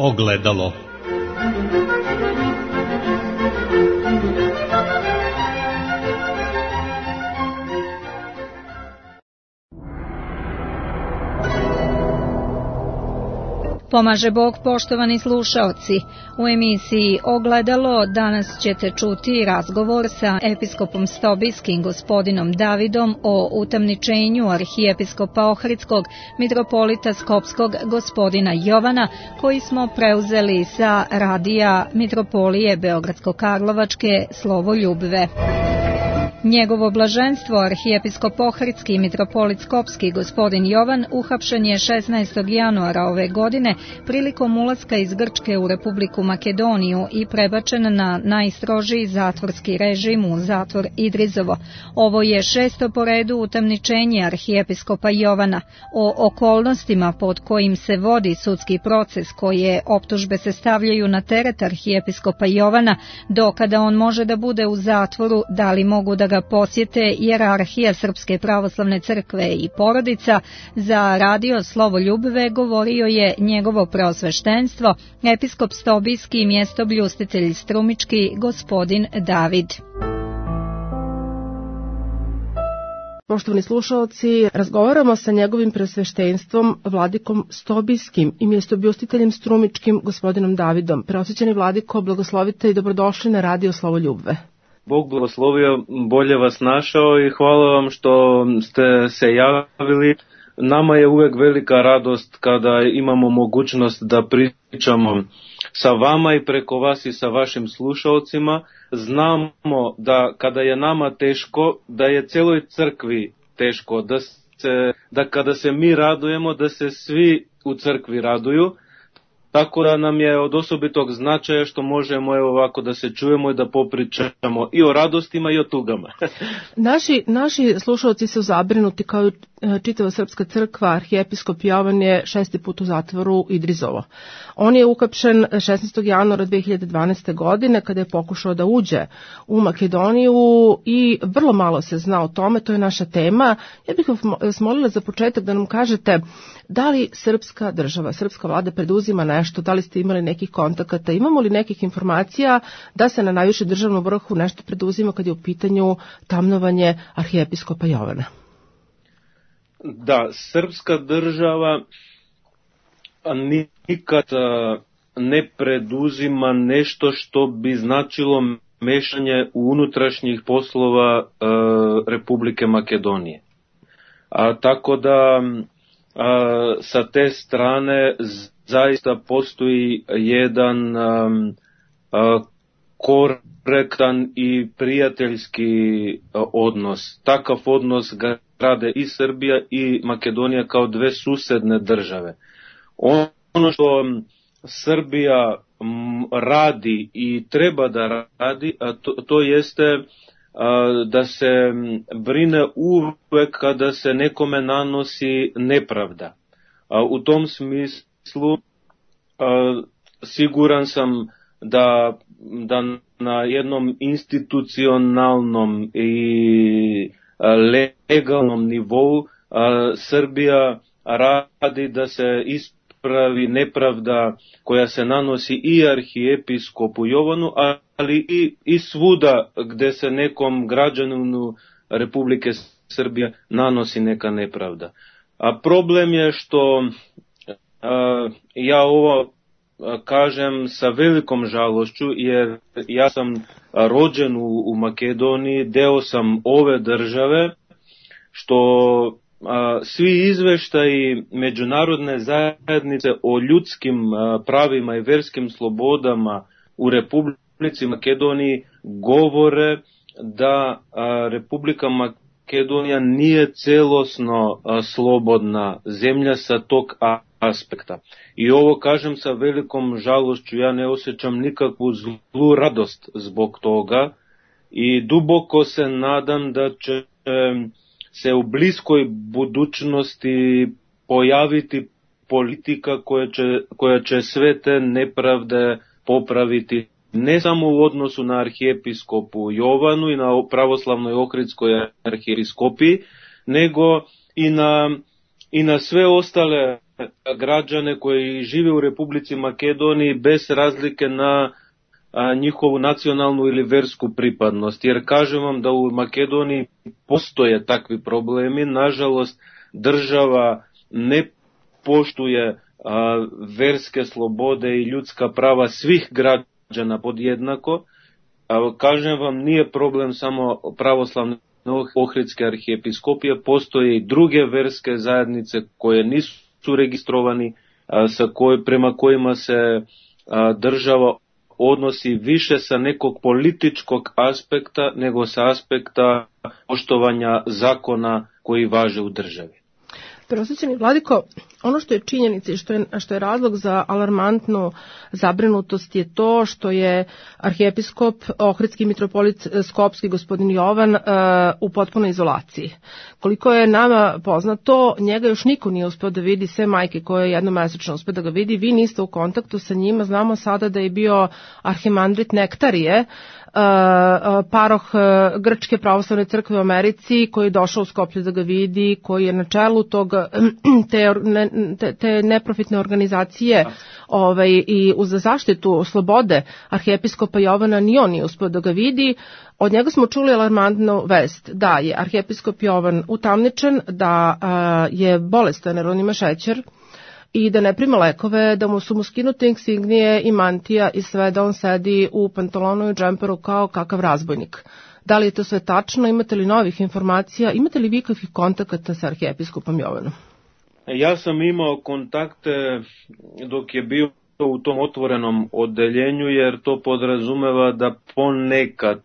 Ogledalo. Pomaže Bog, poštovani slušaoci. U emisiji Ogledalo danas ćete čuti razgovor sa episkopom Stobijskim gospodinom Davidom o utamničenju arhijepiskopa Ohridskog, mitropolita Skopskog gospodina Jovana, koji smo preuzeli sa radija Mitropolije Beogradsko-Karlovačke Slovoljubve. Njegovo blaženstvo, arhijepiskop Ohridski i mitropolit Skopski gospodin Jovan, uhapšen je 16. januara ove godine prilikom ulaska iz Grčke u Republiku Makedoniju i prebačen na najstrožiji zatvorski režim u zatvor Idrizovo. Ovo je 6. po redu utamničenje arhijepiskopa Jovana. O okolnostima pod kojim se vodi sudski proces, koje optužbe se stavljaju na teret arhijepiskopa Jovana, do kada on može da bude u zatvoru, da li mogu da ga posjete hijerarhija Srpske pravoslavne crkve i porodica, za radio Slovoljubve govorio je njegovo preosveštenstvo, episkop Stobijski i mjestobljustitelj Strumički gospodin David. Poštovani slušaoci, razgovaramo sa njegovim preosveštenstvom vladikom Stobijskim i mjestobljustiteljem Strumičkim gospodinom Davidom. Preosvećeni vladiko, blagoslovite i dobrodošli na radio Slovoljubve. Bog blagoslovio, bolje vas našao i hvala vam što ste se javili. Nama je uvek velika radost kada imamo mogućnost da pričamo sa vama i preko vas i sa vašim slušalcima. Znamo da kada je nama teško, da je celoj crkvi teško, da kada se mi radujemo, da se svi u crkvi raduju. Tako da nam je od osobitog značaja što možemo ovako da se čujemo i da popričamo i o radostima i o tugama. Naši slušalci su zabrinuti kao i čitava Srpska crkva. Arhijepiskop Jovan je 6. put u zatvoru Idrizovo. On je uhapšen 16. januara 2012. godine kada je pokušao da uđe u Makedoniju i vrlo malo se zna o tome, to je naša tema. Ja bih vas molila za početak da nam kažete da li srpska država, srpska vlada preduzima nešto, da li ste imali nekih kontakata, imamo li nekih informacija da se na najvišem državnom vrhu nešto preduzima kad je u pitanju tamnovanje arhijepiskopa Jovana? Da, srpska država nikad ne preduzima nešto što bi značilo mešanje u unutrašnjih poslova Republike Makedonije. Tako da sa te strane zaista postoji jedan korektan i prijateljski odnos. Takav odnos grade i Srbija i Makedonija kao dve susedne države. Ono što Srbija radi i treba da radi, to jeste da se brine uvek kada se nekome nanosi nepravda. U tom smislu siguran sam da na jednom institucionalnom i legalnom nivou Srbija radi da se ispravi nepravda koja se nanosi i arhijepiskopu Jovanu, ali i svuda gde se nekom građaninu Republike Srbije nanosi neka nepravda. A problem je što ja ovo kažem sa velikom žalošću, jer ja sam rođen u Makedoniji, deo sam ove države, što svi izveštaji međunarodne zajednice o ljudskim pravima i verskim slobodama u Republici Makedoniji govore da Republika Makedonija nije celosno slobodna zemlja sa tog aspekta. I ovo kažem sa velikom žalošću, ja ne osjećam nikakvu zlu radost zbog toga i duboko se nadam da će se u bliskoj budućnosti pojaviti politika koja će sve te nepravde popraviti, ne samo u odnosu na arhijepiskopu Jovanu i na pravoslavnoj ohridskoj arhijepiskopiji, nego i na sve ostale građane koji žive u Republici Makedoniji bez razlike na njihovu nacionalnu ili versku pripadnost. Jer kažem vam da u Makedoniji postoje takvi problemi. Nažalost, država ne poštuje verske slobode i ljudska prava svih građana podjednako. Kažem vam, nije problem samo pravoslavne Ohridske arhijepiskopije, postoje i druge verske zajednice koje nisu registrovani, prema kojima se država odnosi više sa nekog političkog aspekta nego sa aspekta poštovanja zakona koji važe u državi. Preosvećeni vladiko, ono što je činjenica i što je razlog za alarmantnu zabrinutost je to što je arhijepiskop, ohridski mitropolit Skopski gospodin Jovan u potpunoj izolaciji. Koliko je nama poznato, njega još niko nije uspeo da vidi, sve majke koje jednomesečno uspeo da ga vidi, vi niste u kontaktu sa njima. Znamo sada da je bio arhimandrit Nektarije, paroh Grčke pravoslavne crkve u Americi, koji je došao u Skoplje da ga vidi, koji je na čelu te neprofitne organizacije i uz zaštitu slobode arhijepiskopa Jovana, ni on nije uspeo da ga vidi. Od njega smo čuli alarmantnu vest da je arhijepiskop Jovan utamničen, da je bolestan jer on ima šećer i da ne prima lekove, da su mu skinute insignije i mantija i sve, da on sedi u pantalonu i džemperu kao kakav razbojnik. Da li je to sve tačno? Imate li novih informacija? Imate li vi kakvih kontakata sa arhijepiskopom Jovanom? Ja sam imao kontakte dok je bio u tom otvorenom odeljenju, jer to podrazumeva da ponekad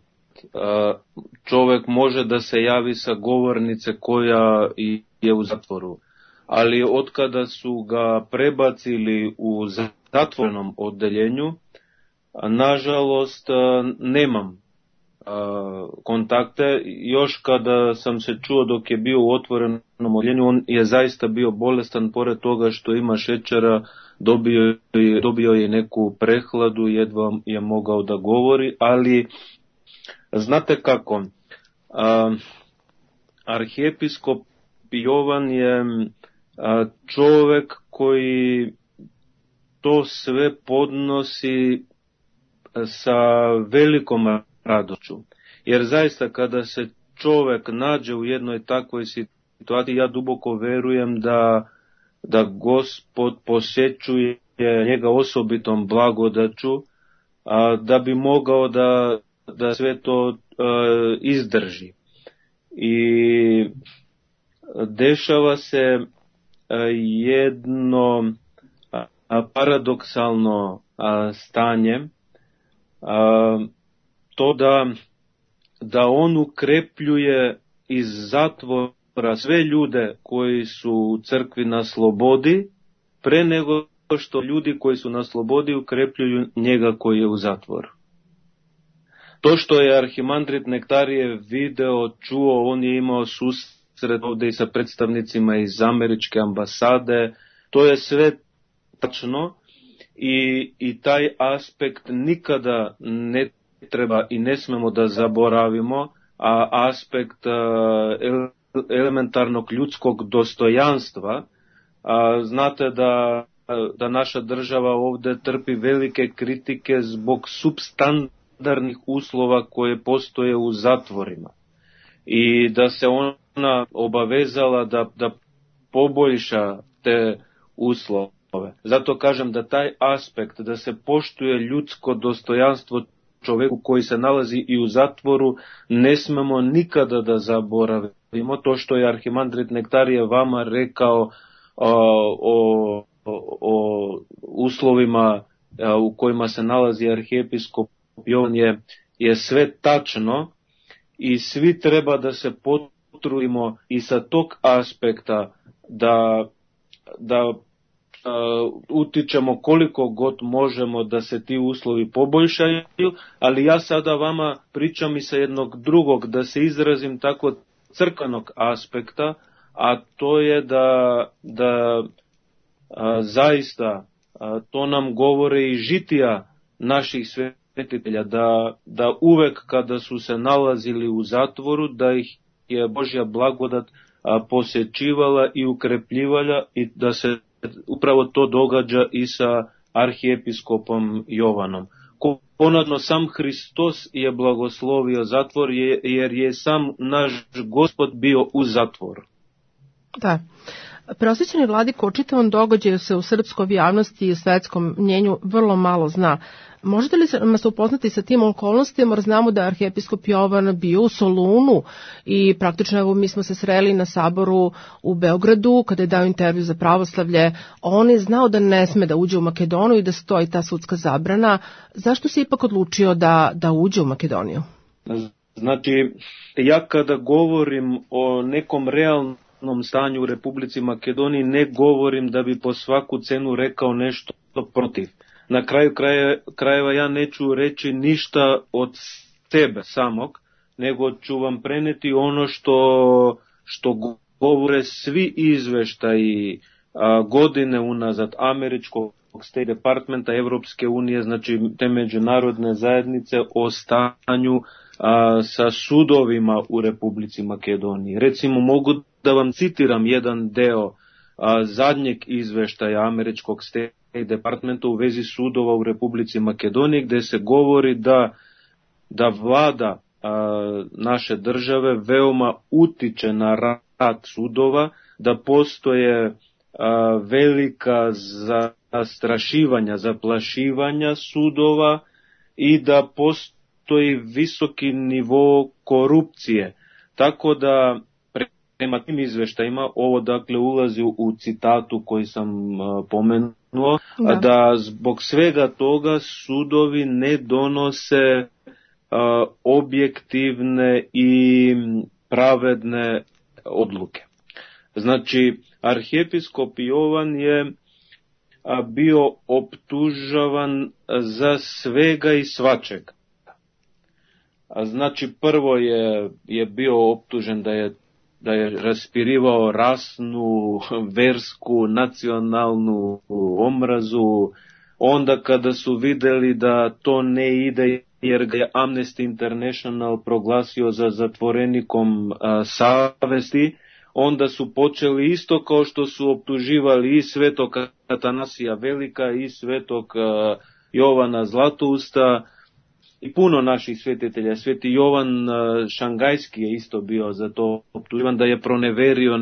čovjek može da se javi sa govornice koja je u zatvoru. Ali otkada su ga prebacili u zatvorenom odeljenju, nažalost nemam kontakte. Još kada sam se čuo dok je bio u otvorenom odeljenju, on je zaista bio bolestan, pored toga što ima šećera, dobio je neku prehladu, jedva je mogao da govori, ali znate kako, arhijepiskop Jovan je čovjek koji to sve podnosi sa velikom radošću. Jer zaista kada se čovjek nađe u jednoj takvoj situaciji, ja duboko verujem da Gospod posjećuje njega osobitom blagodaću, da bi mogao da sve to izdrži. I dešava se jedno paradoksalno stanje, to da on ukrepljuje iz zatvora sve ljude koji su u crkvi na slobodi, pre nego što ljudi koji su na slobodi ukrepljuju njega koji je u zatvoru. To što je arhimandrit Nektarije video, čuo, on je imao susret ovdje i sa predstavnicima iz američke ambasade, to je sve tačno i taj aspekt nikada ne treba i ne smemo da zaboravimo, a aspekt elementarnog ljudskog dostojanstva. Znate da naša država ovdje trpi velike kritike zbog substandarnih uslova koje postoje u zatvorima i da se ona obavezala da poboljša te uslove. Zato kažem da taj aspekt, da se poštuje ljudsko dostojanstvo čovjeku koji se nalazi i u zatvoru, ne smemo nikada da zaboravimo. To što je arhimandrit Nektarije vama rekao o uslovima u kojima se nalazi arhijepiskop Jovan je sve tačno i svi treba da se potrudimo i sa tog aspekta da utičemo koliko god možemo da se ti uslovi poboljšaju, ali ja sada vama pričam i sa jednog drugog, da se izrazim tako, crkvenog aspekta, a to je da zaista to nam govore i žitija naših svetitelja, da uvek kada su se nalazili u zatvoru, da ih je Božja blagodat posjećivala i ukrepljivala i da se upravo to događa i sa arhijepiskopom Jovanom. Ponadno sam Hristos je blagoslovio zatvor jer je sam naš Gospod bio u zatvoru. Da. Prosvećeni vladiko, o čitavom događaju se u srpskoj javnosti i u svetskom mnjenju vrlo malo zna. Možete li nas upoznati sa tim okolnostima, jer znamo da je arhijepiskop Jovan bio u Solunu i praktično evo mi smo se sreli na saboru u Beogradu kada je dao intervju za Pravoslavlje. On je znao da ne sme da uđe u Makedoniju i da stoji ta sudska zabrana. Zašto se ipak odlučio da uđe u Makedoniju? Znači, ja kada govorim o nekom realnom stanju u Republici Makedoniji, ne govorim da bi po svaku cenu rekao nešto protiv. Na kraju krajeva ja neću reći ništa od sebe samog, nego ću vam preneti ono što govore svi izveštaji godine unazad američkog State Departmenta, Evropske unije, znači te međunarodne zajednice o stanju sa sudovima u Republici Makedoniji. Recimo mogu da vam citiram jedan deo zadnjeg izveštaja američkog State Departmenta u vezi sudova u Republici Makedoniji, gde se govori da vlada naše države veoma utiče na rad sudova, da postoje velika zastrašivanja, zaplašivanja sudova i da postoji visoki nivo korupcije. Tako da prema tim izveštajima, ovo dakle ulazi u citatu koji sam pomenuo, da zbog svega toga sudovi ne donose objektivne i pravedne odluke. Znači, arhijepiskop Jovan je bio optužavan za svega i svačega. Znači, prvo je bio optužen da je raspirivao rasnu, versku, nacionalnu omrazu. Onda kada su videli da to ne ide jer ga je Amnesty International proglasio za zatvorenikom savesti, onda su počeli isto kao što su optuživali i svetog Atanasija Velika i svetog Jovana Zlatousta i puno naših svetitelja. Sveti Jovan Šangajski je isto bio za to optuživan, da je proneverio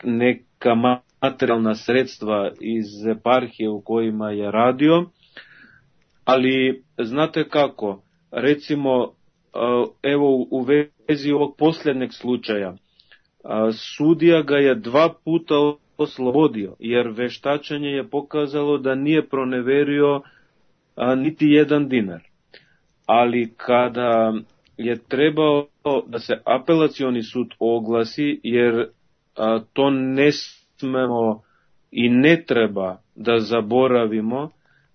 neka materijalna sredstva iz eparhije u kojima je radio. Ali znate kako, recimo evo u vezi ovog posljednjeg slučaja, sudija ga je 2 puta oslobodio, jer veštačenje je pokazalo da nije proneverio niti 1 dinar. Ali kada je trebao da se apelacioni sud oglasi, jer to ne smemo i ne treba da zaboravimo,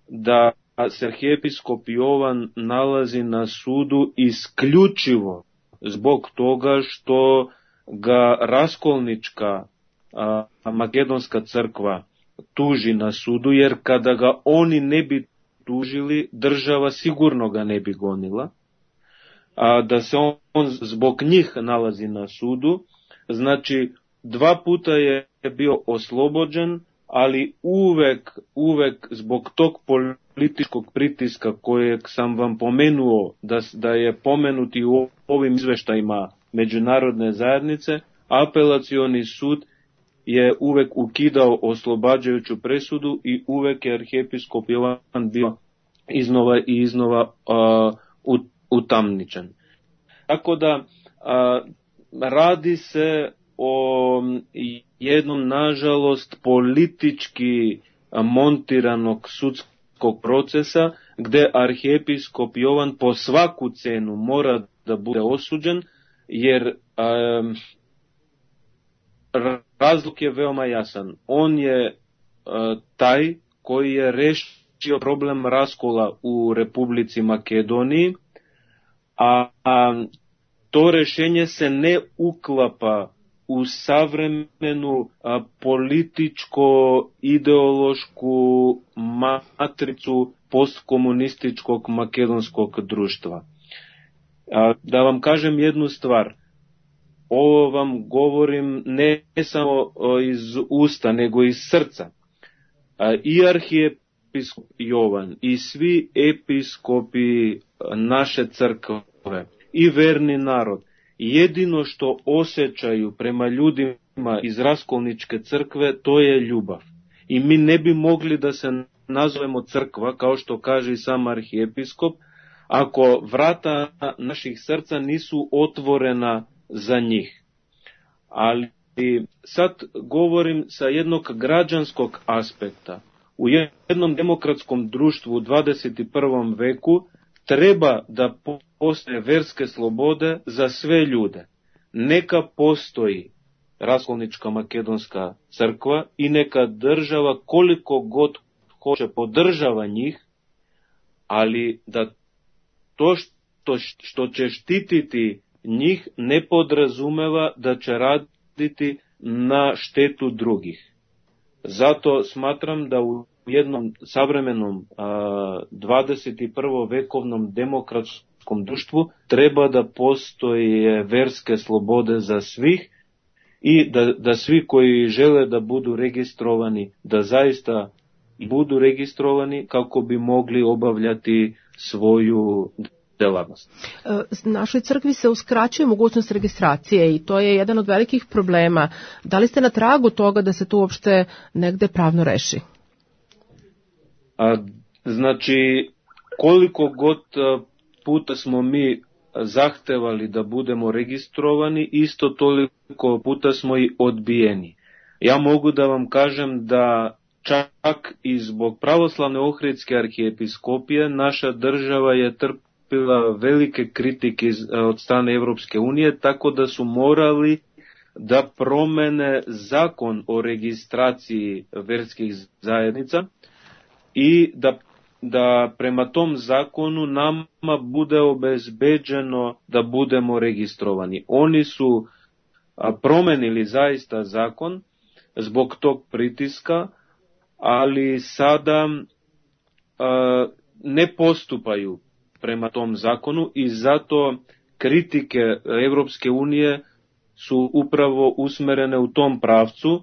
da se arhijepiskop Jovan nalazi na sudu isključivo zbog toga što ga raskolnička makedonska crkva tuži na sudu, jer kada ga oni ne bi tužili, država sigurno ga ne bi gonila, da se on zbog njih nalazi na sudu. Znači 2 puta je bio oslobođen, ali uvek zbog tog političkog pritiska kojeg sam vam pomenuo, da je pomenuti u ovim izveštajima međunarodne zajednice, apelacioni sud je uvek ukidao oslobađajuću presudu i uvek je arhijepiskop Jovan bio iznova i iznova utamničen. Tako da radi se o jednom, nažalost, politički montiranog sudskog procesa, gde arhijepiskop Jovan po svaku cenu mora da bude osuđen, jer razlog je veoma jasan. On je taj koji je rešio problem raskola u Republici Makedoniji, a to rešenje se ne uklapa u savremenu političko-ideološku matricu ovo vam govorim ne samo iz usta, nego iz srca. I arhijepiskop Jovan i svi episkopi naše crkve i verni narod, jedino što osjećaju prema ljudima iz Raskolničke crkve, to je ljubav. I mi ne bi mogli da se nazovemo crkva, kao što kaže i sam arhijepiskop, ako vrata naših srca nisu otvorena za njih. Ali sad govorim sa jednog građanskog aspekta. U jednom demokratskom društvu u 21. veku treba da postoje verske slobode za sve ljude. Neka postoji Raskolnička makedonska crkva i neka država koliko god hoće podržava njih, ali da to što će štititi njih ne podrazumeva da će raditi na štetu drugih. Zato smatram da u jednom savremenom 21. vekovnom demokratskom društvu treba da postoje verske slobode za svih i da svi koji žele da budu registrovani, da zaista budu registrovani kako bi mogli obavljati svoju delatnost. Našoj crkvi se uskraćuje mogućnost registracije i to je jedan od velikih problema. Da li ste na tragu toga da se to uopšte negde pravno reši? Znači, koliko god puta smo mi zahtevali da budemo registrovani, isto toliko puta smo i odbijeni. Ja mogu da vam kažem da čak i zbog pravoslavne Ohridske arhijepiskopije naša država je trpila velike kritike od strane Evropske unije, tako da su morali da promene zakon o registraciji verskih zajednica i da prema tom zakonu nama bude obezbeđeno da budemo registrovani. Oni su promenili zaista zakon zbog tog pritiska, ali sada ne postupaju prema tom zakonu i zato kritike Evropske unije su upravo usmerene u tom pravcu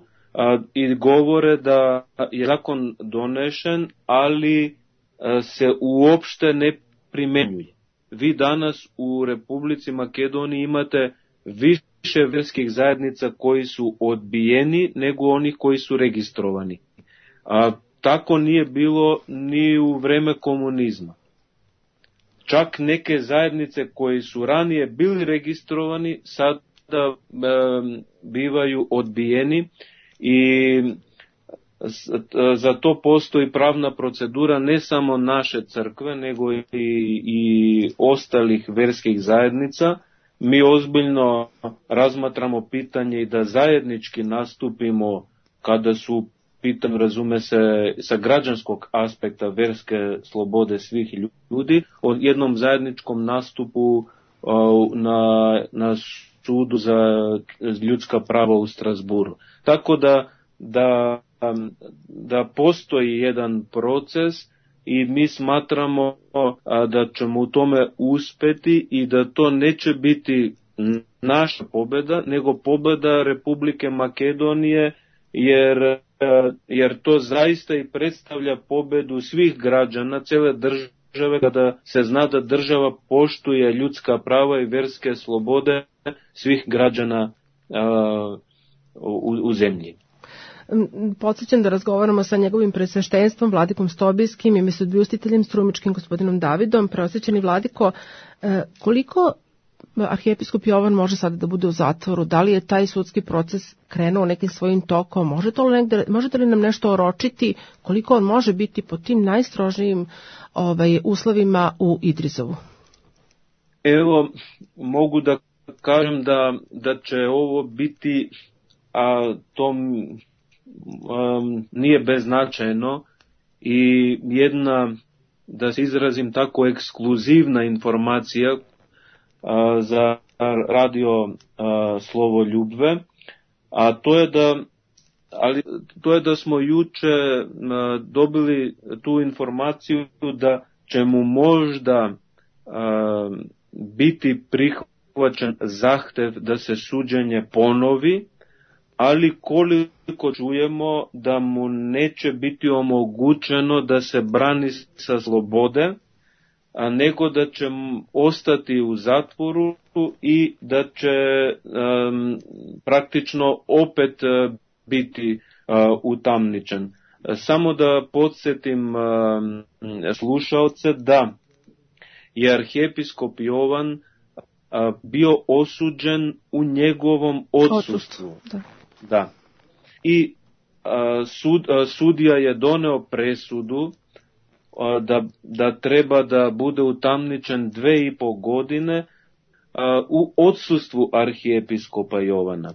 i govore da je zakon donešen, ali se uopšte ne primenjuje. Vi danas u Republici Makedoniji imate više verskih zajednica koji su odbijeni nego onih koji su registrovani. Tako nije bilo ni u vreme komunizma. Čak neke zajednice koji su ranije bili registrovani sada bivaju odbijeni i za to postoji pravna procedura ne samo naše crkve nego i ostalih verskih zajednica. Mi ozbiljno razmatramo pitanje i da zajednički nastupimo kada su pitanju, razume se, sa građanskog aspekta verske slobode svih ljudi, o jednom zajedničkom nastupu na sudu za ljudska prava u Strasburu. Tako da postoji jedan proces i mi smatramo da ćemo u tome uspeti i da to neće biti naša pobeda, nego pobeda Republike Makedonije, jer to zaista i predstavlja pobedu svih građana, cele države, kada se zna da država poštuje ljudska prava i verske slobode svih građana u zemlji. Podsjećam da razgovaramo sa njegovim presveštenstvom Vladikom Stobijskim i mesudbljustiteljem strumičkim gospodinom Davidom. Preosvećeni Vladiko, koliko arhijepiskop Jovan može sada da bude u zatvoru? Da li je taj sudski proces krenuo nekim svojim tokom? Možete li nam nešto oročiti koliko on može biti pod tim najstrožijim uslovima u Idrizovu? Evo, mogu da kažem da će ovo biti, to nije beznačajno i jedna, da se izrazim tako, ekskluzivna informacija za radio Slovo Ljubve, a to je da smo juče dobili tu informaciju da će mu možda biti prihvaćen zahtev da se suđenje ponovi, ali koliko čujemo da mu neće biti omogućeno da se brani sa slobode, a nego da će ostati u zatvoru i da će praktično opet biti utamničen. Samo da podsjetim slušaoce da je arhijepiskop Jovan bio osuđen u njegovom odsustvu. Da. I sudija je doneo presudu da treba da bude utamničen 2,5 godine u odsustvu arhijepiskopa Jovana.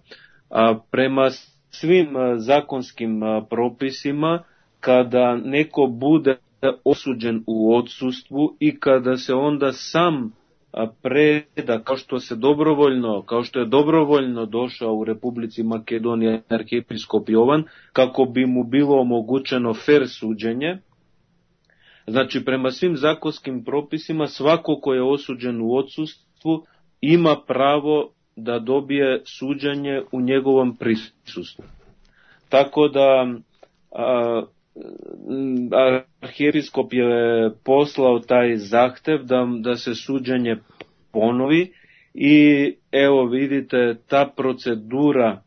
Prema svim zakonskim propisima, kada neko bude osuđen u odsustvu i kada se onda sam preda, kao što je dobrovoljno došao u Republici Makedonija arhijepiskop Jovan, kako bi mu bilo omogućeno fer suđenje. Znači, prema svim zakonskim propisima, svako ko je osuđen u odsustvu ima pravo da dobije suđenje u njegovom prisustvu. Tako da arhijepiskop je poslao taj zahtev da se suđenje ponovi i evo vidite, ta procedura,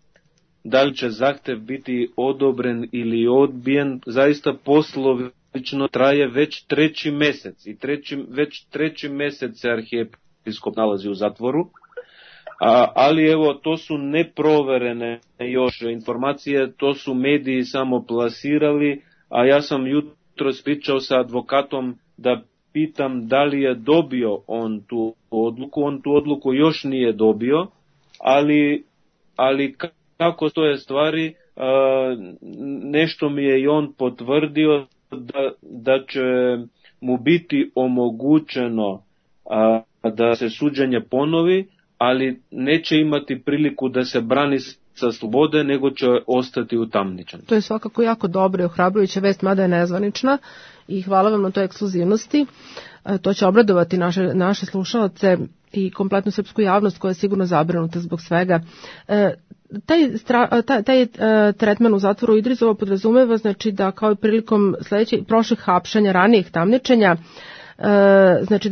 da li će zahtev biti odobren ili odbijen, zaista poslovično traje već 3. mjesec i već 3. mjesec se arhijepiskop nalazi u zatvoru. Ali evo, to su neproverene još informacije, to su mediji samo plasirali, a ja sam jutros pričao sa advokatom da pitam da li je dobio on tu odluku. On tu odluku još nije dobio, ali kako stoje stvari, nešto mi je i on potvrdio da će mu biti omogućeno da se suđenje ponovi, ali neće imati priliku da se brani sa slobode, nego će ostati utamničen. To je svakako jako dobro i ohrabrujuća vest, mada je nezvanična, i hvala vam na toj ekskluzivnosti. To će obradovati naše slušalce i kompletnu srpsku javnost koja je sigurno zabrinuta zbog svega. Taj tretman u zatvoru Idrizovo podrazumeva, znači, da kao i prilikom prošlih hapšanja, ranijih tamničenja, znači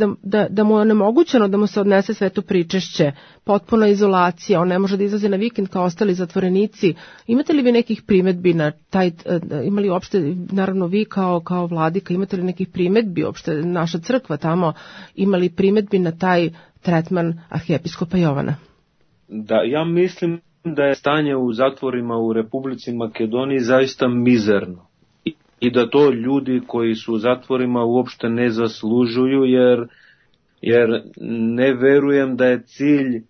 da mu je onemogućeno da mu se odnese sveto pričešće, potpuna izolacija, on ne može da izlazi na vikend kao ostali zatvorenici. Imate li vi nekih primedbi na taj, imali uopšte, naravno vi kao vladika, imate li nekih primedbi, uopšte naša crkva tamo, imali primedbi na taj tretman arhijepiskopa Jovana? Da, ja mislim da je stanje u zatvorima u Republici Makedoniji zaista mizerno. I da to ljudi koji su u zatvorima uopšte ne zaslužuju, jer ne verujem da je cilj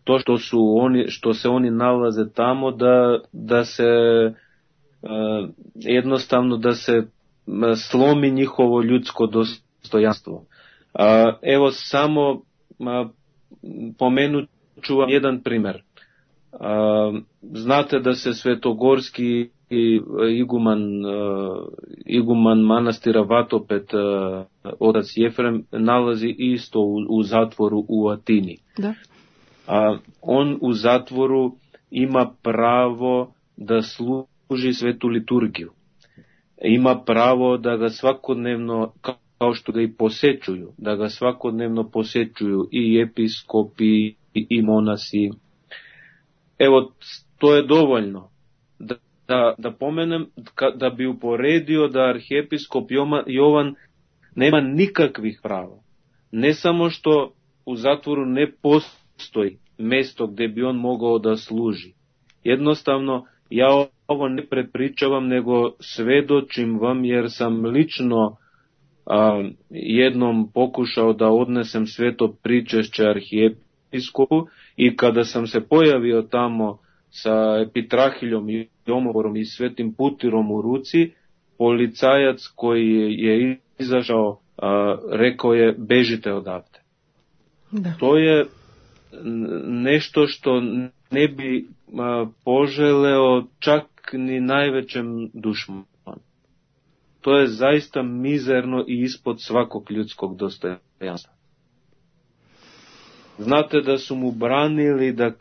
to što se oni nalaze tamo, da se jednostavno da se slomi njihovo ljudsko dostojanstvo. Evo samo pomenut ću vam jedan primjer. Znate da se svetogorski iguman manastira Vatopet, otac Jefrem, nalazi isto u zatvoru u Atini. Da. On u zatvoru ima pravo da služi svetu liturgiju. Ima pravo da ga svakodnevno, kao što ga i posećuju, da ga svakodnevno posećuju i episkopi i monasi. Evo, to je dovoljno da pomenem, da bi uporedio da arhijepiskop Jovan nema nikakvih prava. Ne samo što u zatvoru ne postoji mjesto gdje bi on mogao da služi. Jednostavno, ja ovo ne prepričavam, nego svedočim vam, jer sam lično jednom pokušao da odnesem sveto pričešće arhijepiskopu i kada sam se pojavio tamo sa epitrahiljom i omovorom i svetim putirom u ruci, policajac koji je izašao rekao je: bežite odavde. Da. To je nešto što ne bi poželeo čak ni najvećem dušmanu. To je zaista mizerno i ispod svakog ljudskog dostojanstva. Znate da su mu branili da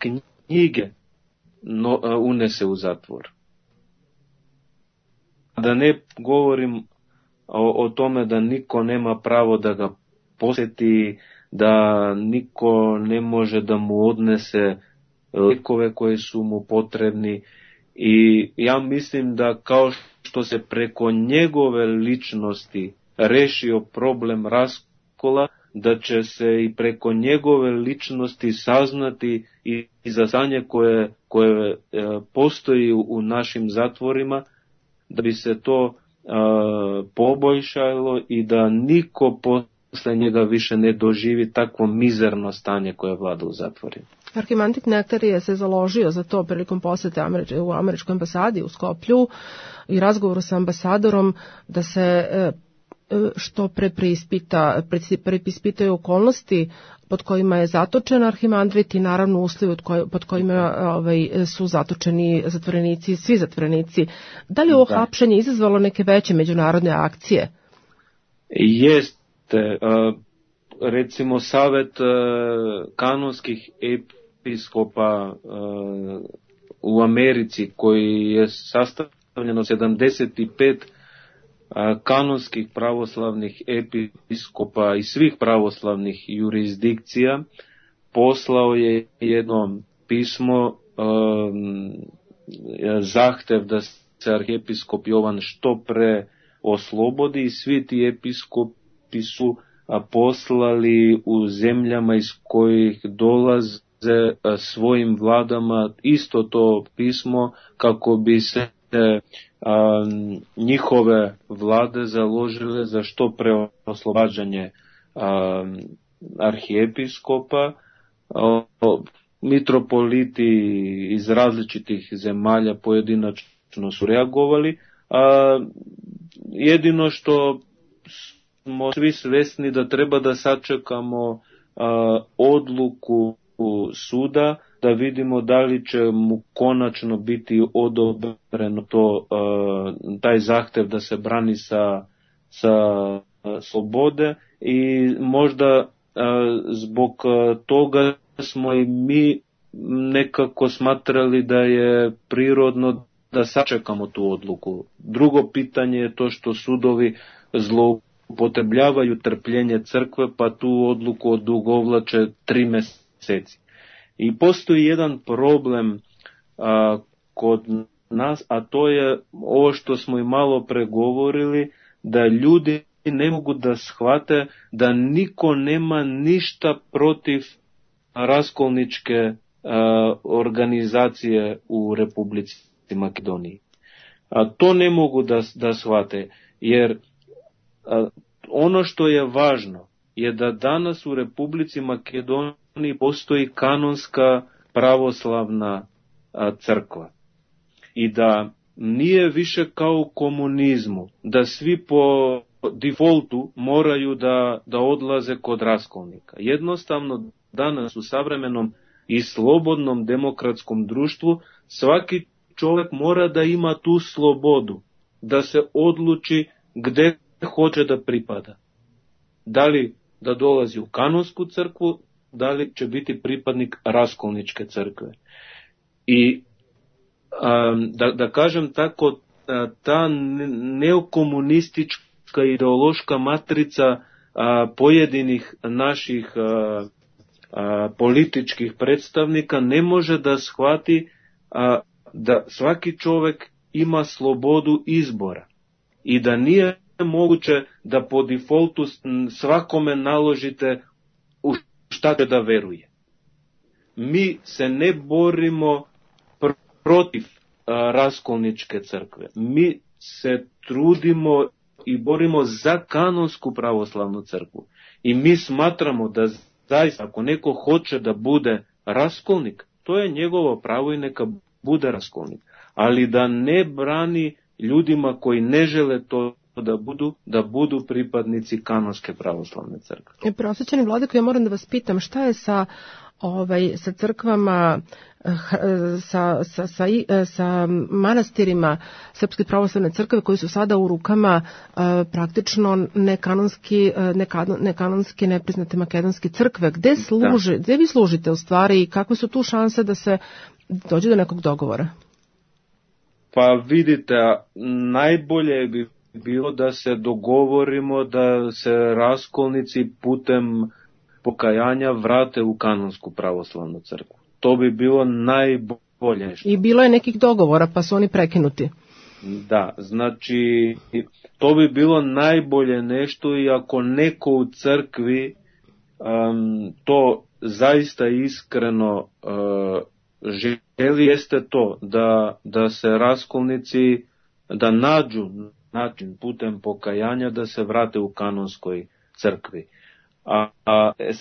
knjige unese u zatvor. Da ne govorim o tome da niko nema pravo da ga posjeti, da niko ne može da mu odnese lekove koje su mu potrebni. I ja mislim da kao što se preko njegove ličnosti rešio problem raskola, da će se i preko njegove ličnosti saznati i za stanje koje postoji u našim zatvorima, da bi se to poboljšalo i da niko posle njega više ne doživi takvo mizerno stanje koje vlada u zatvorima. Arhimandrit Nektarije se založio za to prilikom posete u američkoj ambasadi u Skoplju i razgovoru sa ambasadorom da se što pre preispitaju okolnosti pod kojima je zatočen arhimandrit i naravno uslovi pod kojima su zatočeni zatvorenici, svi zatvorenici. Da li je ovo hapšenje izazvalo neke veće međunarodne akcije? Jeste. Recimo Savet kanonskih episkopa u Americi, koji je sastavljen od 75 kanonskih pravoslavnih episkopa i svih pravoslavnih jurisdikcija, poslao je jedno pismo, zahtev da se arhijepiskop Jovan što pre oslobodi, i svi ti episkopi su poslali u zemljama iz kojih dolaze svojim vladama isto to pismo, kako bi se njihove vlade založile za što pre oslobađanje arhijepiskopa. Mitropoliti iz različitih zemalja pojedinačno su reagovali, jedino što smo svi svesni da treba da sačekamo odluku suda, da vidimo da li će mu konačno biti odobreno taj zahtev da se brani sa slobode, i možda zbog toga smo i mi nekako smatrali da je prirodno da sačekamo tu odluku. Drugo pitanje je to što sudovi zloupotrebljavaju trpljenje crkve, pa tu odluku odugovlače 3 meseci. I postoji jedan problem kod nas, a to je ovo što smo i malo pregovorili, da ljudi ne mogu da shvate da niko nema ništa protiv raskolničke organizacije u Republici Makedoniji. To ne mogu da shvate, jer ono što je važno je da danas u Republici Makedoniji postoji kanonska pravoslavna crkva i da nije više kao u komunizmu, da svi po defaultu moraju da odlaze kod raskolnika. Jednostavno danas u savremenom i slobodnom demokratskom društvu svaki čovjek mora da ima tu slobodu, da se odluči gde hoće da pripada. Da li da dolazi u kanonsku crkvu, da li će biti pripadnik raskolničke crkve. I da kažem tako, ta neokomunistička ideološka matrica pojedinih naših političkih predstavnika ne može da shvati da svaki čovjek ima slobodu izbora i da nije moguće da po defaultu svakome naložite u šta će da veruje. Mi se ne borimo protiv raskolničke crkve. Mi se trudimo i borimo za kanonsku pravoslavnu crkvu. I mi smatramo da zaista ako neko hoće da bude raskolnik, to je njegovo pravo i neka bude raskolnik. Ali da ne brani ljudima koji ne žele to da budu pripadnici kanonske pravoslavne crkve. Prosvećeni vladiko, ja moram da vas pitam, šta je sa sa crkvama, sa manastirima Srpske pravoslavne crkve koji su sada u rukama praktično nekanonski nepriznate makedonske crkve. Gde vi služite u stvari i kakve su tu šanse da se dođe do nekog dogovora? Pa vidite, najbolje bi bilo da se dogovorimo da se raskolnici putem pokajanja vrate u kanonsku pravoslavnu crkvu. To bi bilo najbolje. I bilo je nekih dogovora pa su oni prekinuti. Da, znači to bi bilo najbolje nešto i ako neko u crkvi to zaista iskreno želi, jeste to da se raskolnici, da nađu način putem pokajanja da se vrate u kanonskoj crkvi.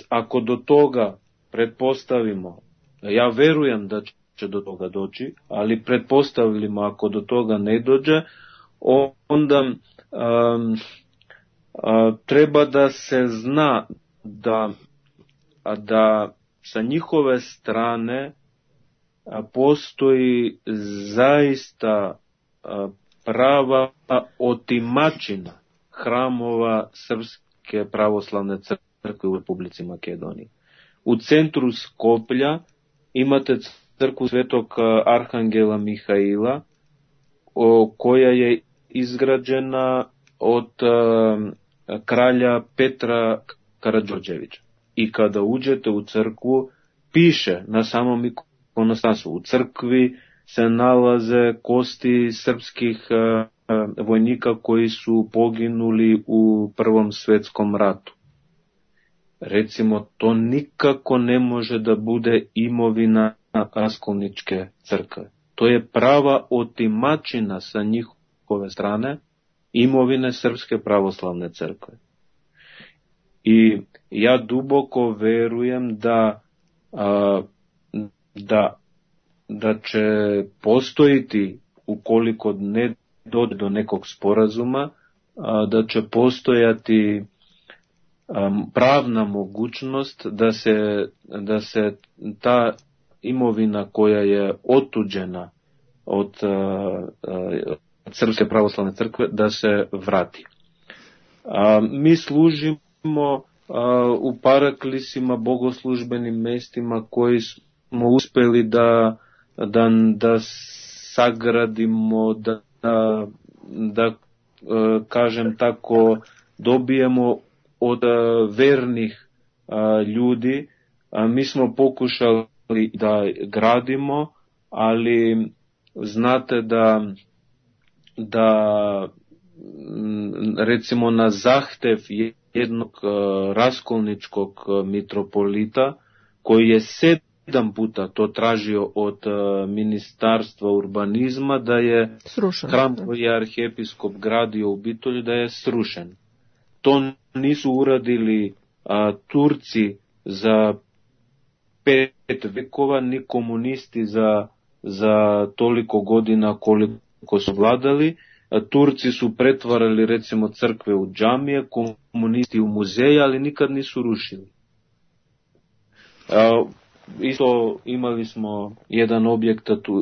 Ako do toga pretpostavimo, ja verujem da će do toga doći, ali pretpostavimo ako do toga ne dođe, onda treba da se zna da sa njihove strane postoji zaista prava otimačina hramova Srpske pravoslavne crkve u Republici Makedoniji. U centru Skoplja imate crkvu Svetog Arhangela Mihaila, koja je izgrađena od kralja Petra Karađorđevića. I kada uđete u crkvu, piše na samom ikonostasu, u crkvi se nalaze kosti srpskih vojnika koji su poginuli u Prvom svetskom ratu. Recimo, to nikako ne može da bude imovina raskolničke crkve. To je prava otimačina sa njihove strane imovine Srpske pravoslavne crkve. I ja duboko verujem da će postojiti, ukoliko ne dođe do nekog sporazuma, da će postojati pravna mogućnost da se ta imovina koja je otuđena od Srpske pravoslavne crkve da se vrati. Mi služimo u paraklisima, bogoslužbenim mestima koji smo uspeli da sagradimo, da kažem tako, dobijemo od vernih ljudi. Mi smo pokušali da gradimo, ali znate da recimo na zahtev jednog raskolničkog mitropolita, koji je 7 puta to tražio od Ministarstva urbanizma, da je srušen. Hram koji je arhijepiskop gradio u Bitolju, da je srušen. To nisu uradili Turci za 5 vekova, ni komunisti za toliko godina koliko su vladali. Turci su pretvarali recimo crkve u džamije, komunisti u muzeje, ali nikad nisu rušili. Isto imali smo jedan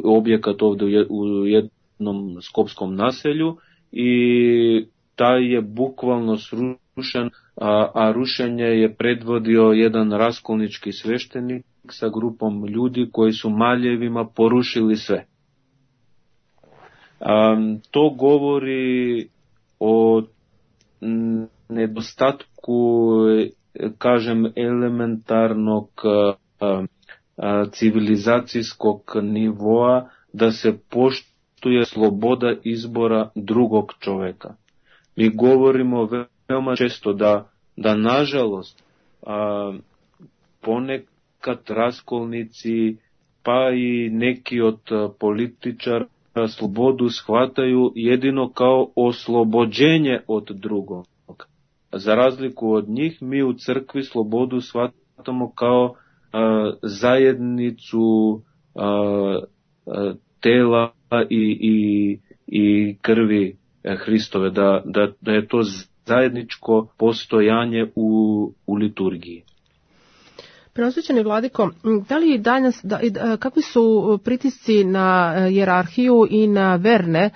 objekat ovdje u jednom skopskom naselju i taj je bukvalno srušen, a rušenje je predvodio jedan raskolnički sveštenik sa grupom ljudi koji su maljevima porušili sve. To govori o nedostatku, kažem, elementarnog civilizacijskog nivoa, da se poštuje sloboda izbora drugog čoveka. Mi govorimo veoma često da nažalost ponekad raskolnici pa i neki od političara slobodu shvataju jedino kao oslobođenje od drugog. Za razliku od njih, mi u crkvi slobodu shvatamo kao zajednicu tela i krvi Hristove, da je to zajedničko postojanje u liturgiji. Preosvećeni vladiko, da li danas, kakvi su pritisci na hijerarhiju i na verne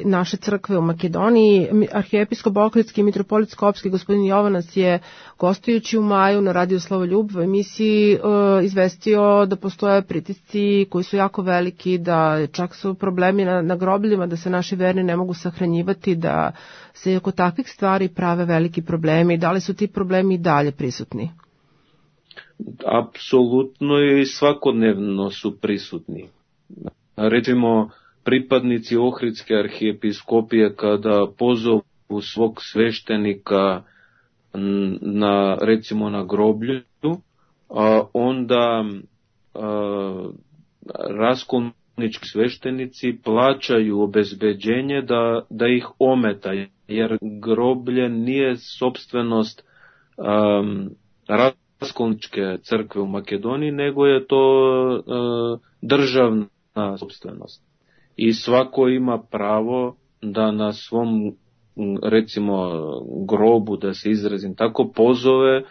naše crkve u Makedoniji? Arhijepiskop Ohridski i mitropolit Skopski gospodin Jovanac je gostujući u maju na Radio Slavoljub u emisiji izvestio da postoje pritisci koji su jako veliki, da čak su problemi na grobljima, da se naši verni ne mogu sahranjivati, da se oko takvih stvari prave veliki problemi. Da li su ti problemi i dalje prisutni? Apsolutno i svakodnevno su prisutni. Recimo, pripadnici Ohridske arhijepiskopije kada pozovu svog sveštenika recimo na groblju, onda raskolnički sveštenici plaćaju obezbeđenje da ih ometa, jer groblje nije sopstvenost raskolničke crkve u Makedoniji, nego je to državna sopstvenost. I svako ima pravo da na svom, recimo, grobu, da se izrazim tako, pozove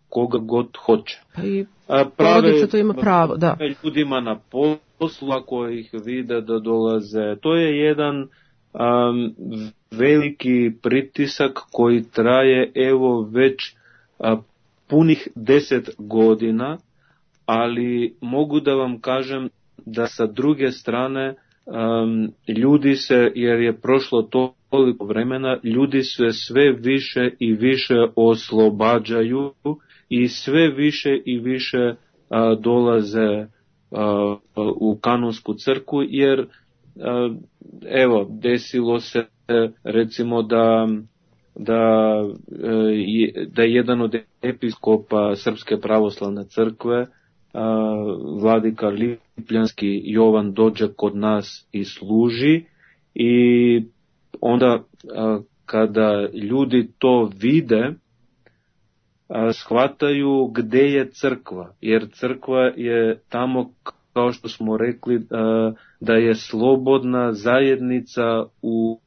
koga god hoće. Pa i porodica to ima pravo, da. Ljudima na poslu, ako ih vide da dolaze. To je jedan veliki pritisak koji traje evo već punih 10 godina, ali mogu da vam kažem da sa druge strane ljudi se, jer je prošlo toliko vremena, ljudi se sve više i više oslobađaju i sve više i više dolaze u kanonsku crkvu, jer evo, desilo se recimo da jedan od episkopa Srpske pravoslavne crkve, vladika Lipljanski Jovan, dođe kod nas i služi, i onda kada ljudi to vide, shvataju gde je crkva, jer crkva je tamo, kao što smo rekli, da je slobodna zajednica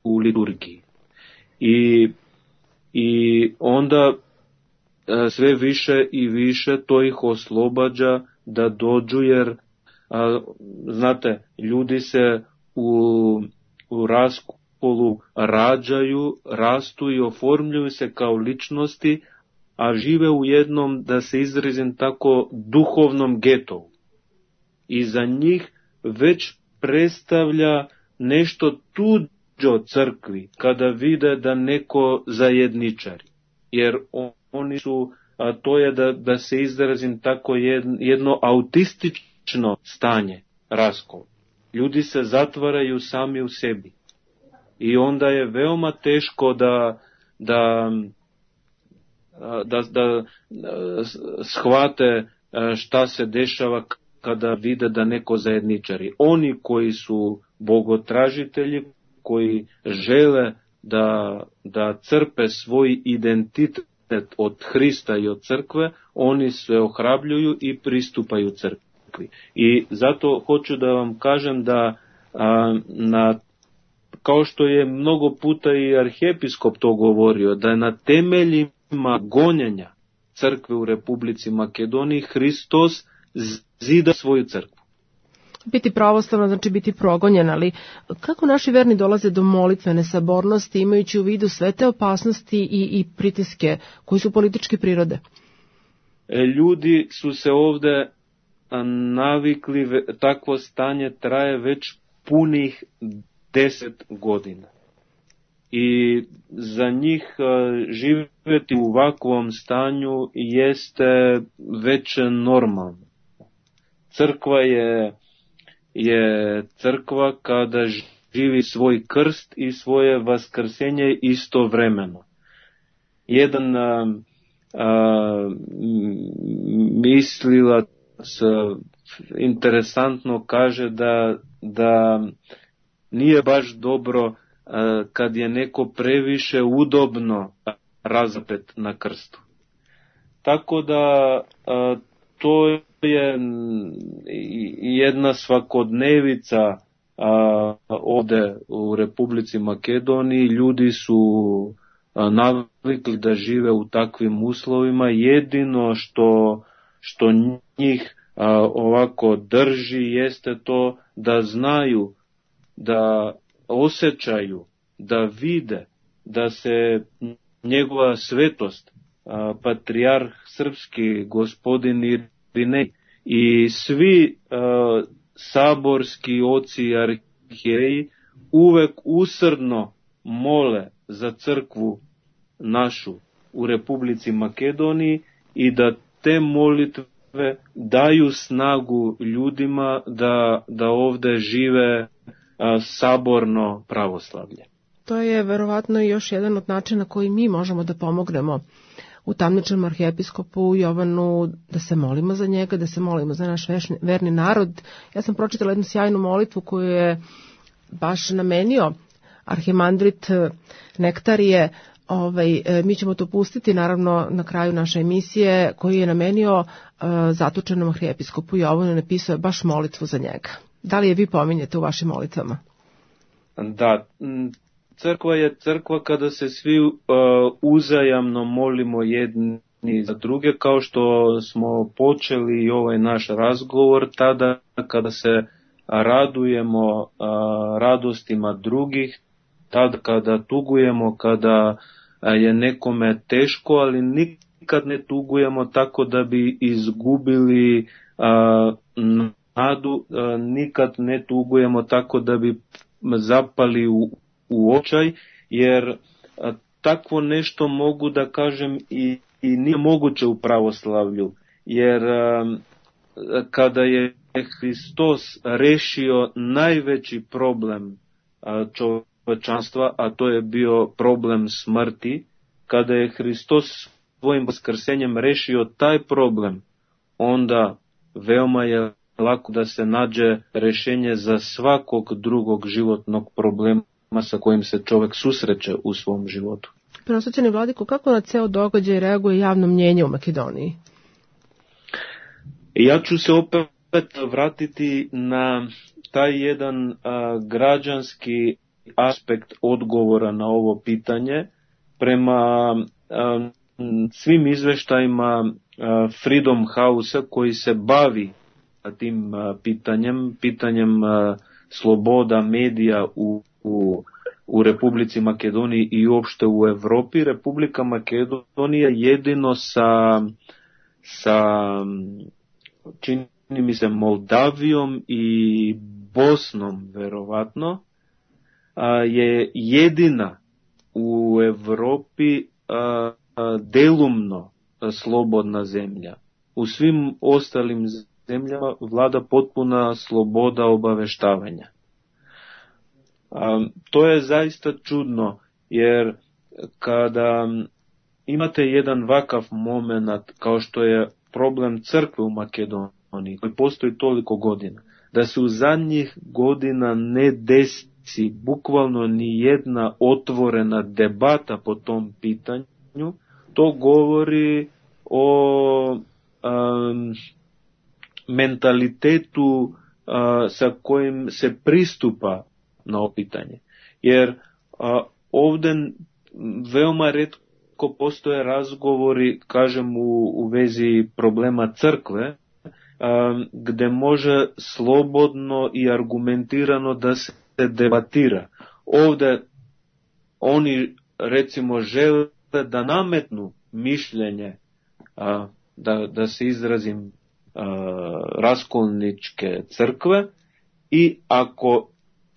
u liturgiji. I onda sve više i više to ih oslobađa da dođu, jer znate, ljudi se u raskolu rađaju, rastu i oformljuju se kao ličnosti, a žive u jednom, da se izrazim tako, duhovnom getovu. I za njih već predstavlja nešto tuđo crkvi kada vide da neko zajedničari. Jer oni su, to je da se izrazim tako, jedno autistično stanje, raskol. Ljudi se zatvaraju sami u sebi. I onda je veoma teško da shvate šta se dešava kada vide da neko zajedničari. Oni koji su bogotražitelji, koji žele da crpe svoj identitet od Hrista i od crkve, oni se ohrabljuju i pristupaju crkvi. I zato hoću da vam kažem da kao što je mnogo puta i arhijepiskop to govorio, da je na temeljima gonjenja crkve u Republici Makedoniji Hristos zida svoju crkvu. Biti pravoslavno znači biti progonjen, ali kako naši verni dolaze do molitvene sabornosti, imajući u vidu sve te opasnosti i pritiske koji su političke prirode? Ljudi su se ovde navikli, takvo stanje traje već punih 10 godina. I za njih živjeti u ovakvom stanju jeste već normalno. Crkva je crkva kada živi svoj krst i svoje vaskrsenje istovremeno. Jedan mislilac interesantno kaže da nije baš dobro kad je neko previše udobno razapet na krstu. Tako da to je jedna svakodnevica ovde u Republici Makedoniji. Ljudi su navikli da žive u takvim uslovima. Jedino što njih ovako drži jeste to da znaju, da osjećaju, da vide da se njegova svetost, patrijarh srpski, gospodin Irinej i svi saborski oci i arhijereji uvek usrdno mole za crkvu našu u Republici Makedoniji i da te molitve daju snagu ljudima da ovde žive saborno pravoslavlje. To je verovatno još jedan od načina koji mi možemo da pomognemo u tamničnom arhijepiskopu Jovanu, da se molimo za njega, da se molimo za naš verni narod. Ja sam pročitala jednu sjajnu molitvu koju je baš namenio arhimandrit Nektarije. Mi ćemo to pustiti naravno na kraju naše emisije, koju je namenio zatočenom arhijepiskopu Jovanu, napisao je baš molitvu za njega. Da li je vi pominjete u vašim molitvama? Da, crkva je crkva kada se svi uzajamno molimo jedni za druge, kao što smo počeli ovaj naš razgovor tada kada se radujemo radostima drugih, tada kada tugujemo, kada je nekome teško, ali nikad ne tugujemo tako da bi izgubili nadu, nikad ne tugujemo tako da bi zapali u očaj, jer takvo nešto mogu da kažem i nije moguće u pravoslavlju, jer kada je Hristos rešio najveći problem čovečanstva, a to je bio problem smrti, kada je Hristos svojim vaskrsenjem rešio taj problem, onda veoma je lako da se nađe rešenje za svakog drugog životnog problema sa kojim se čovek susreće u svom životu. Prenosvećeni vladiko, kako na ceo događaj reaguje javno mnjenje u Makedoniji? Ja ću se opet vratiti na taj jedan građanski aspekt odgovora na ovo pitanje. Prema svim izveštajima Freedom House-a koji se bavi tim pitanjem sloboda medija u Republici Makedoniji i uopšte u Evropi, Republika Makedonija jedino sa čini mi se Moldavijom i Bosnom verovatno je jedina u Evropi delumno slobodna zemlja. U svim ostalim zemljama vlada potpuna sloboda obaveštavanja. To je zaista čudno, jer kada imate jedan vakav moment kao što je problem crkve u Makedoniji, koji postoji toliko godina, da se u zadnjih godina ne desi bukvalno ni jedna otvorena debata po tom pitanju, to govori o mentalitetu sa kojim se pristupa na ovo pitanje. Jer ovde veoma retko postoje razgovori, kažem, u vezi problema crkve, gde može slobodno i argumentirano da se debatira. Ovde oni recimo žele da nametnu mišljenje, da se izrazim, raskolničke crkve, i ako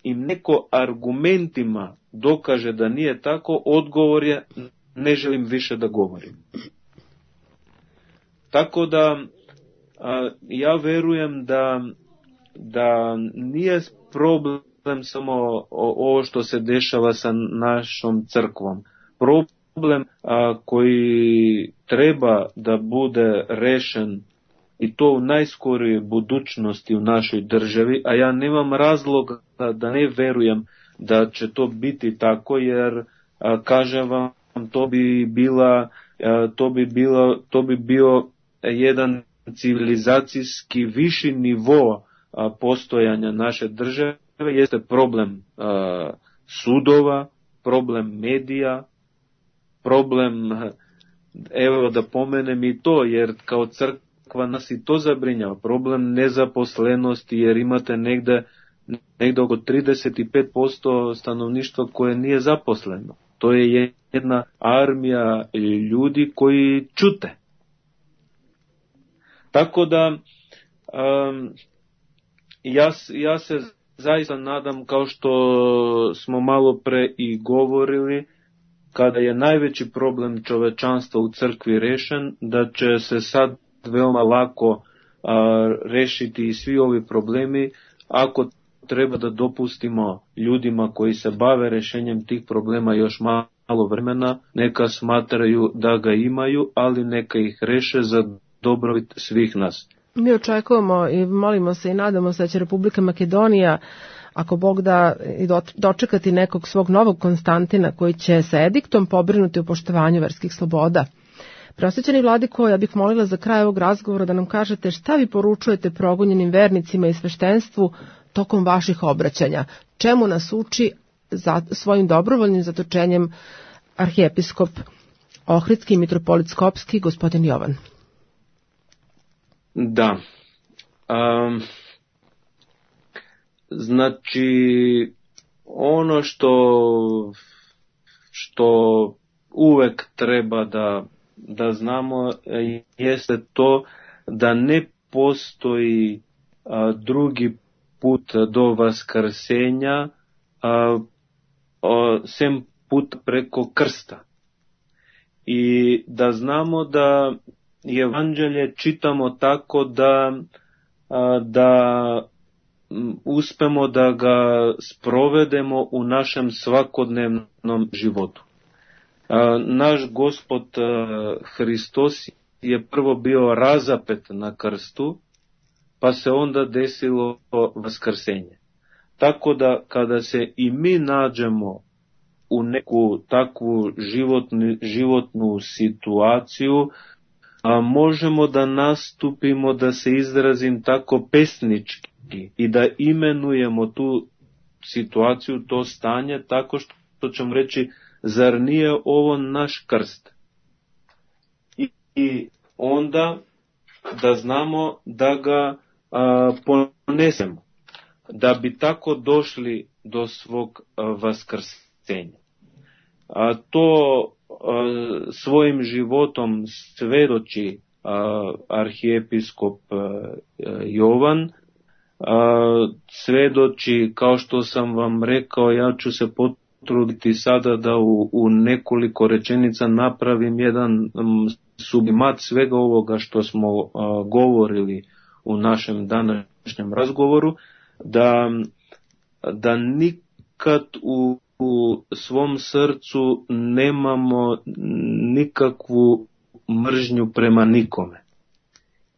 im neko argumentima dokaže da nije tako, odgovor je ne želim više da govorim. Tako da ja verujem da nije problem samo ovo što se dešava sa našom crkvom. Problem koji treba da bude rešen, i to u najskorijoj budućnosti u našoj državi, a ja nemam razloga da ne verujem da će to biti tako, jer kažem vam, to bi bio jedan civilizacijski viši nivo postojanja naše države, jeste problem sudova, problem medija, problem, evo da pomenem i to, jer kao crkva nas i to zabrinjava, problem nezaposlenosti, jer imate negde oko 35% stanovništva koje nije zaposleno. To je jedna armija ljudi koji ćute. Tako da ja se zaista nadam, kao što smo malo pre i govorili, kada je najveći problem čovečanstva u crkvi rešen, da će se sad veoma lako rešiti i svi ovi problemi, ako treba da dopustimo ljudima koji se bave rešenjem tih problema još malo vremena, neka smatraju da ga imaju, ali neka ih reše za dobrobit svih nas. Mi očekujemo i molimo se i nadamo se da će Republika Makedonija, ako Bog da, dočekati nekog svog novog Konstantina koji će sa ediktom pobrinuti o poštovanju verskih sloboda. Preosvećeni vladiko, ja bih molila za kraj ovog razgovora da nam kažete šta vi poručujete progonjenim vernicima i sveštenstvu tokom vaših obraćanja. Čemu nas uči svojim dobrovoljnim zatočenjem arhijepiskop Ohridski i mitropolit Skopski, gospodin Jovan? Da. Znači, ono što uvek treba da znamo jeste to da ne postoji drugi put do vaskrsenja sem put preko krsta. I da znamo da evanđelje čitamo tako da uspemo da ga sprovedemo u našem svakodnevnom životu. Naš Gospod Hristos je prvo bio razapet na krstu, pa se onda desilo vaskrsenje. Tako da kada se i mi nađemo u neku takvu životnu situaciju, možemo da nastupimo, da se izrazim tako pesnički i da imenujemo tu situaciju, to stanje, tako što ćemo reći, zar nije ovo naš krst? I onda da znamo da ga ponesemo, da bi tako došli do svog vaskrsenja. To svojim životom svedoči arhijepiskop Jovan, svedoči, kao što sam vam rekao, ja ću se potruditi sada da u nekoliko rečenica napravim jedan sublimat svega ovoga što smo govorili u našem današnjem razgovoru, da nikad u svom srcu nemamo nikakvu mržnju prema nikome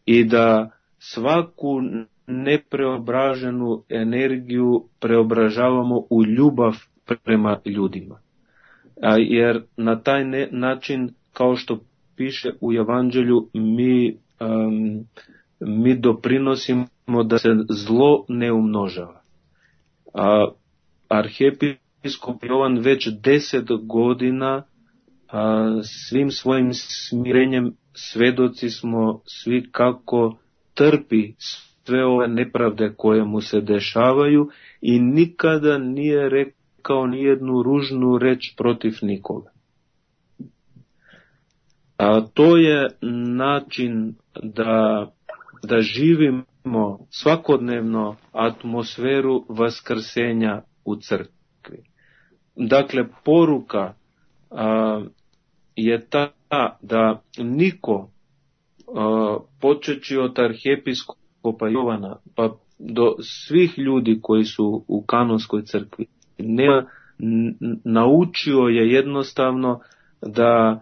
i da svaku nepreobraženu energiju preobražavamo u ljubav prema ljudima. Jer na taj način, kao što piše u Evanđelju, mi doprinosimo da se zlo ne umnožava. Arhijepiskop Jovan već 10 godina svim svojim smirenjem svedoci smo svi kako trpi sve ove nepravde koje mu se dešavaju i nikada nije rekao nijednu ružnu reč protiv nikoga. To je način da živimo svakodnevno atmosferu vaskrsenja u crkvi. Dakle, poruka je ta da niko, počeći od arhijepiskopa Jovana pa do svih ljudi koji su u kanonskoj crkvi, naučio je jednostavno da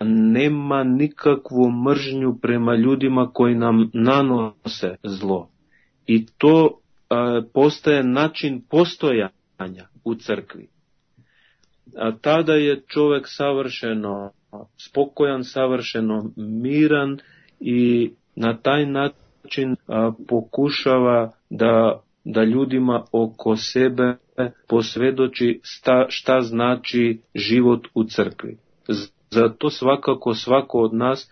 nema nikakvu mržnju prema ljudima koji nam nanose zlo. I to postaje način postojanja u crkvi. Tada je čovjek savršeno spokojan, savršeno miran i na taj način pokušava da ljudima oko sebe posvjedoči šta znači život u crkvi. Zato svakako svako od nas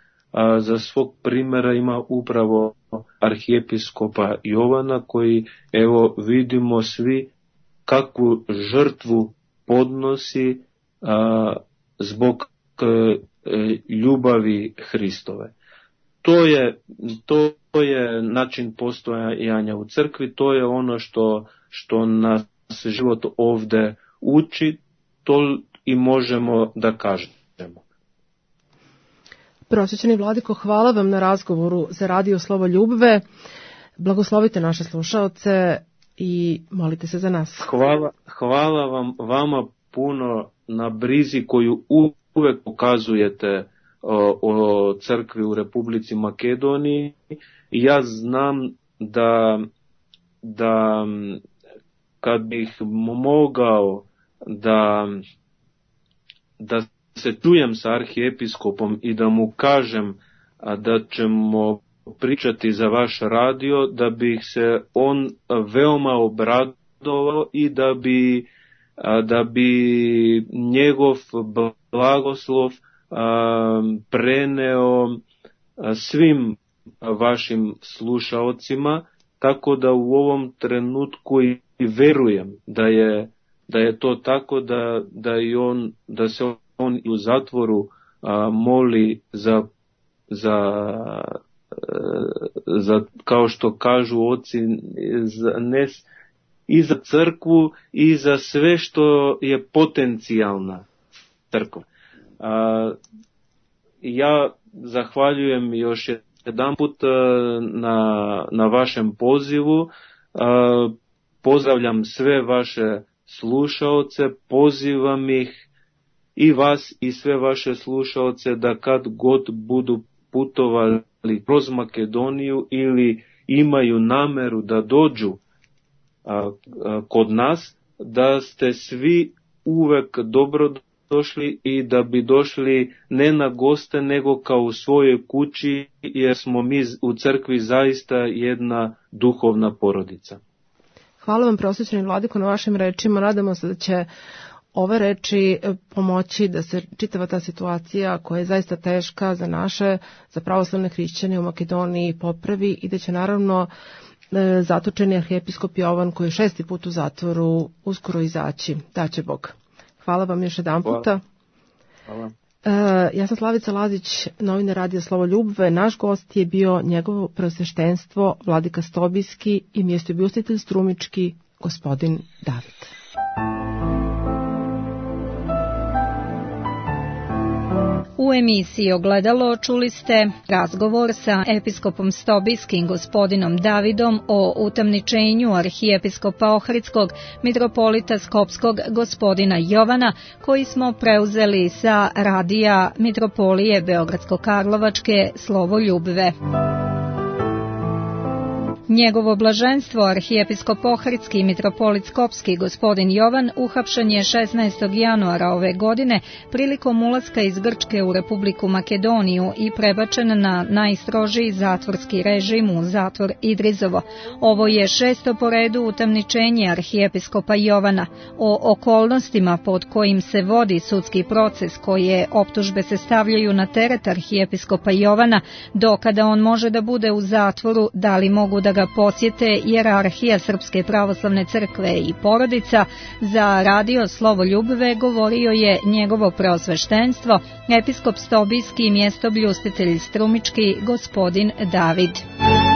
za svog primjera ima upravo arhijepiskopa Jovana, koji evo vidimo svi kakvu žrtvu podnosi zbog ljubavi Hristove. To je način postojanja u crkvi, to je ono što nas život ovdje uči, to i možemo da kažemo. Prosvećeni vladiko, hvala vam na razgovoru za Radio Slovo Ljubve. Blagoslovite naše slušaoce i molite se za nas. Hvala vama puno na brizi koju uvek pokazujete o crkvi u Republici Makedoniji. Ja znam da kad bih mogao da se čujem sa arhijepiskopom i da mu kažem da ćemo pričati za vaš radio, da bih se on veoma obradovao i da bi njegov blagoslov preneo svim vašim slušaocima, tako da u ovom trenutku i verujem da je to tako, da se on u zatvoru moli za kao što kažu oci, i za crkvu i za sve što je potencijalna crkva. Ja zahvaljujem još jedanput na vašem pozivu. Pozdravljam sve vaše slušaoce, pozivam ih i vas i sve vaše slušaoce da kad god budu putovali kroz Makedoniju ili imaju nameru da dođu kod nas, da ste svi uvek dobro došli i da bi došli ne na goste nego kao u svojoj kući, jer smo mi u crkvi zaista jedna duhovna porodica. Hvala vam, prosvećeni vladiko, na vašim rečima. Nadamo se da će ove reči pomoći da se čitava ta situacija koja je zaista teška za pravoslavne hrišćane u Makedoniji popravi i da će naravno zatočeni arhijepiskop Jovan, koji je 6. put u zatvoru, uskoro izaći. Daće Bog. Hvala vam još jedan puta. Hvala. Ja sam Slavica Lazić, novinar Radio Slovo Ljubve. Naš gost je bio njegovo preosveštenstvo vladika Stobijski i mjestoobljustitelj strumički gospodin David. U emisiji Ogledalo čuli ste razgovor sa episkopom Stobijskim gospodinom Davidom o utamničenju arhijepiskopa Ohridskog, mitropolita Skopskog gospodina Jovana, koji smo preuzeli sa radija Mitropolije Beogradsko-Karlovačke Slovo Ljubve. Njegovo blaženstvo arhijepiskop Ohridski i mitropolit Skopski gospodin Jovan uhapšen je 16. januara ove godine prilikom ulaska iz Grčke u Republiku Makedoniju i prebačen na najstrožiji zatvorski režim u zatvor Idrizovo. Ovo je 6. po redu utamničenje arhijepiskopa Jovana. O okolnostima pod kojim se vodi sudski proces, koje optužbe se stavljaju na teret arhijepiskopa Jovana, do kada on može da bude u zatvoru, da li mogu da ga posjete hijerarhija Srpske pravoslavne crkve i porodica, za Radio Slovo Ljubve govorio je njegovo preosveštenstvo, episkop Stobijski i mjestoobljustitelj strumički gospodin David.